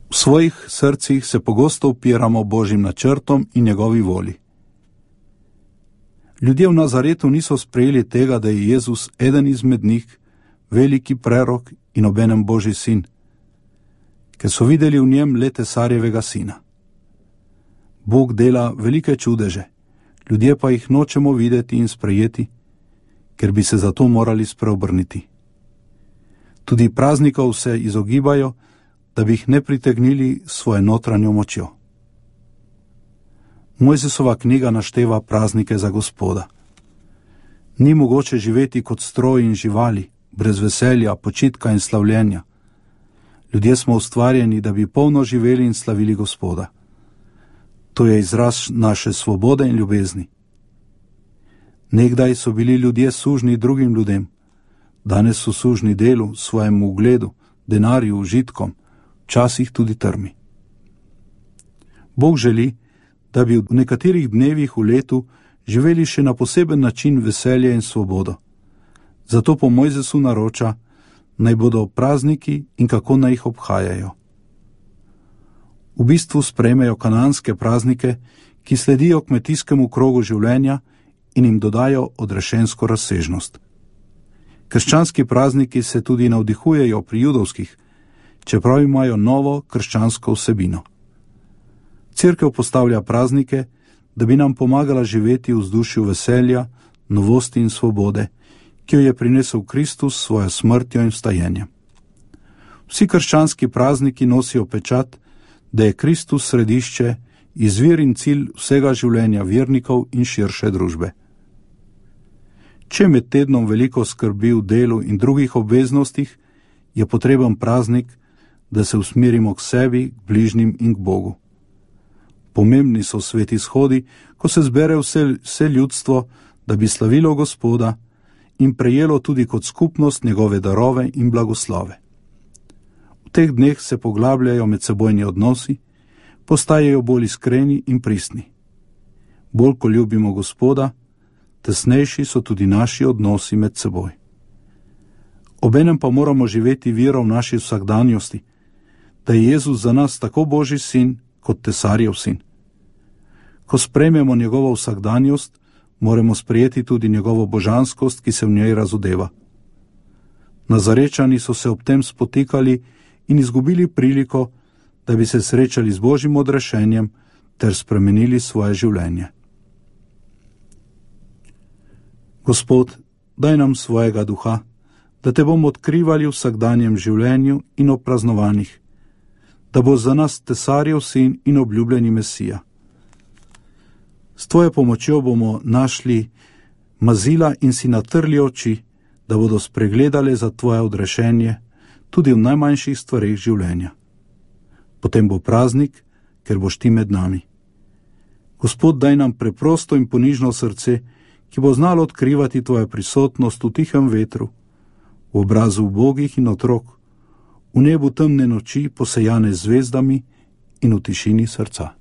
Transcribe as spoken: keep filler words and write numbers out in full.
V svojih srcih se pogosto upiramo Božjim načrtom in njegovi voli. Ljudje v Nazaretu niso sprejeli tega, da je Jezus eden izmed njih, veliki prerok in obenem Božji sin, ker so videli v njem le tesarjevega sina. Bog dela velike čudeže, ljudje pa jih nočemo videti in sprejeti, ker bi se zato morali spreobrniti. Tudi praznikov se izogibajo, da bi jih ne pritegnili svojo notranjo močjo. Mojzesova knjiga našteva praznike za Gospoda. Ni mogoče živeti kot stroj in živali, brez veselja, počitka in slavljenja. Ljudje smo ustvarjeni, da bi polno živeli in slavili Gospoda. To je izraz naše svobode in ljubezni. Nekdaj so bili ljudje sužni drugim ljudem, danes so sužni delu, svojemu ugledu, denarju, užitkom, včasih tudi trmi. Bog želi, da bi v nekaterih dnevih v letu živeli še na poseben način veselje in svobodo. Zato po Mojzesu naroča, naj bodo prazniki in kako naj jih obhajajo. V bistvu sprejmejo kananske praznike, ki sledijo kmetijskemu krogu življenja in jim dodajo odrešensko razsežnost. Krščanski prazniki se tudi navdihujejo pri judovskih, čeprav imajo novo krščansko vsebino. Cerkev postavlja praznike, da bi nam pomagala živeti v vzdušju veselja, novosti in svobode, ki jo je prinesel Kristus s svojo smrtjo in vstajenjem. Vsi krščanski prazniki nosijo pečat, da je Kristus središče, izvir in cilj vsega življenja vernikov in širše družbe. Če med tednom veliko skrbi v delu in drugih obveznostih, je potreben praznik, da se usmerimo k sebi, k bližnjim in k Bogu. Pomembni so sveti shodi, ko se zbere vse, vse ljudstvo, da bi slavilo Gospoda in prejelo tudi kot skupnost njegove darove in blagoslove. V teh dneh se poglabljajo medsebojni odnosi, postajajo bolj iskreni in pristni. Bolj ko ljubimo Gospoda, tesnejši so tudi naši odnosi med seboj. Obenem pa moramo živeti vero v naši vsakdanjosti, da je Jezus za nas tako Božji sin, kot tesarjev sin. Ko sprejmemo njegovo vsakdanjost, moramo sprejeti tudi njegovo božanskost, ki se v njej razodeva. Nazarečani so se ob tem spotikali in izgubili priliko, da bi se srečali z Božjim odrešenjem ter spremenili svoje življenje. Gospod, daj nam svojega duha, da te bomo odkrivali v vsakdanjem življenju in ob praznovanjih, da bo za nas tesarjev sin in obljubljeni Mesija. S tvojo pomočjo bomo našli mazila in si natrli oči, da bodo spregledale za tvoje odrešenje tudi v najmanjših stvareh življenja. Potem bo praznik, ker boš ti med nami. Gospod, daj nam preprosto in ponižno srce, ki bo znalo odkrivati tvojo prisotnost v tihem vetru, v obrazu ubogih in otrok, v nebu temne noči posejane z zvezdami in v tišini srca.